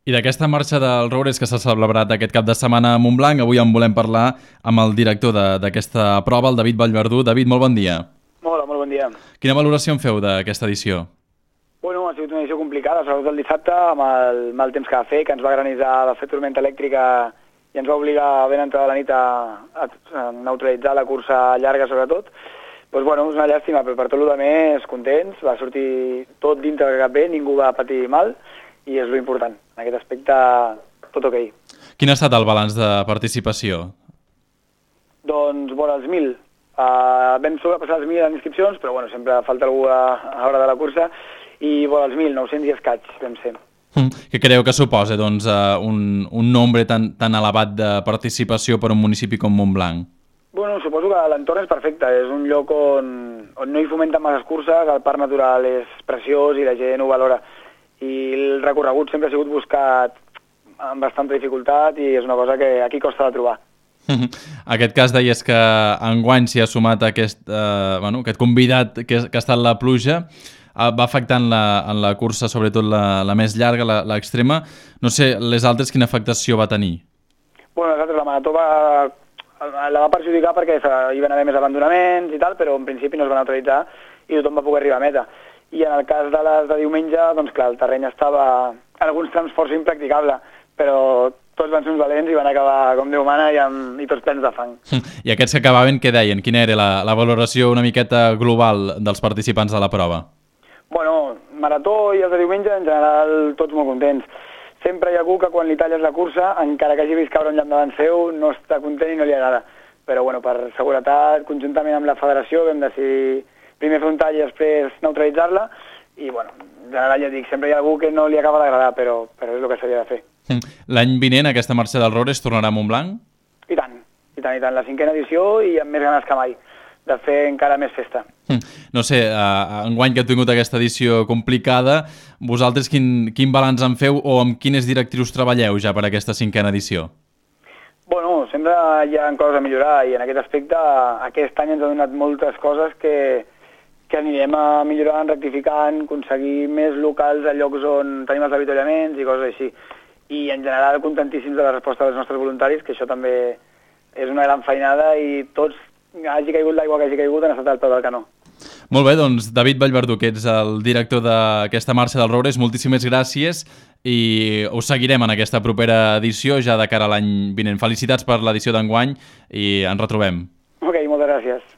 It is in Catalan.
I d'aquesta marxa del Roures que s'ha celebrat aquest cap de setmana a Montblanc, avui en volem parlar amb el director d'aquesta prova, el David Vallverdú. David, molt bon dia. Hola, molt bon dia. Quina valoració en feu d'aquesta edició? Bueno, ha sigut una edició complicada, sobretot el dissabte, amb el mal temps que va fer, que ens va granitzar, va fer tormenta elèctrica i ens va obligar ben entrada la nit a neutralitzar la cursa llarga, sobretot. Doncs bueno, és una llàstima, però per tot el més contents, va sortir tot dintre que cap bé, ningú va patir mal, i és lo important. En aquest aspecte, tot ok. Quin ha estat el balanç de participació? Doncs, vora els 1.000. Vam sobrepassar els 1.000 en inscripcions, però bueno, sempre falta algú a l'hora de la cursa, i vora els 1.000, 900 i escaig, vam ser. Què creu que suposa doncs, un nombre tan elevat de participació per a un municipi com Montblanc? Bueno, suposo que l'entorn és perfecte, és un lloc on no hi fomenten masses curses, el parc natural és preciós i la gent ho valora. I el recorregut sempre ha sigut buscat amb bastanta dificultat i és una cosa que aquí costa de trobar. Aquest cas deies que enguany s'hi ha sumat aquest convidat que ha estat la pluja, va afectar en la cursa, sobretot la més llarga, l'extrema. No sé, les altres quina afectació va tenir? Bueno, les altres, la marató la va perjudicar perquè hi van haver més abandonaments i tal, però en principi no es va neutralitzar i tothom va poder arribar a meta. I en el cas de les de diumenge, doncs clar, el terreny estava en alguns trams força impracticable, però tots van ser uns valents i van acabar com Déu mana i tots plens de fang. I aquests que acabaven, què deien? Quina era la valoració una miqueta global dels participants de la prova? Bueno, marató i els de diumenge, en general, tots molt contents. Sempre hi ha algú que quan li talles la cursa, encara que hagi vist caure un llamp davant seu, no està content i no li agrada. Però bueno, per seguretat, conjuntament amb la federació, vam decidir primer fer un tall i després neutralitzar-la, i bueno, en general ja dic, sempre hi ha algú que no li acaba d'agradar, però és el que s'havia de fer. L'any vinent aquesta marxa del Roures tornarà a Montblanc? I tant, la 5a edició i amb més ganes que mai, de fer encara més festa. No sé, enguany que heu tingut aquesta edició complicada, vosaltres quin balanç en feu o amb quines directrius treballeu ja per aquesta 5a edició? Bueno, sempre hi ha coses a millorar i en aquest aspecte aquest any ens ha donat moltes coses que anirem a millorant, rectificant, aconseguir més locals a llocs on tenim els avituallaments i coses així. I en general contentíssims de la resposta dels nostres voluntaris, que això també és una gran feinada i tots, hagi caigut l'aigua que hagi caigut, han estat al peu del canó. Molt bé, doncs David Vallverdú, que ets el director d'aquesta marxa del Roures, moltíssimes gràcies i us seguirem en aquesta propera edició ja de cara a l'any vinent. Felicitats per l'edició d'enguany i ens retrobem. Ok, moltes gràcies.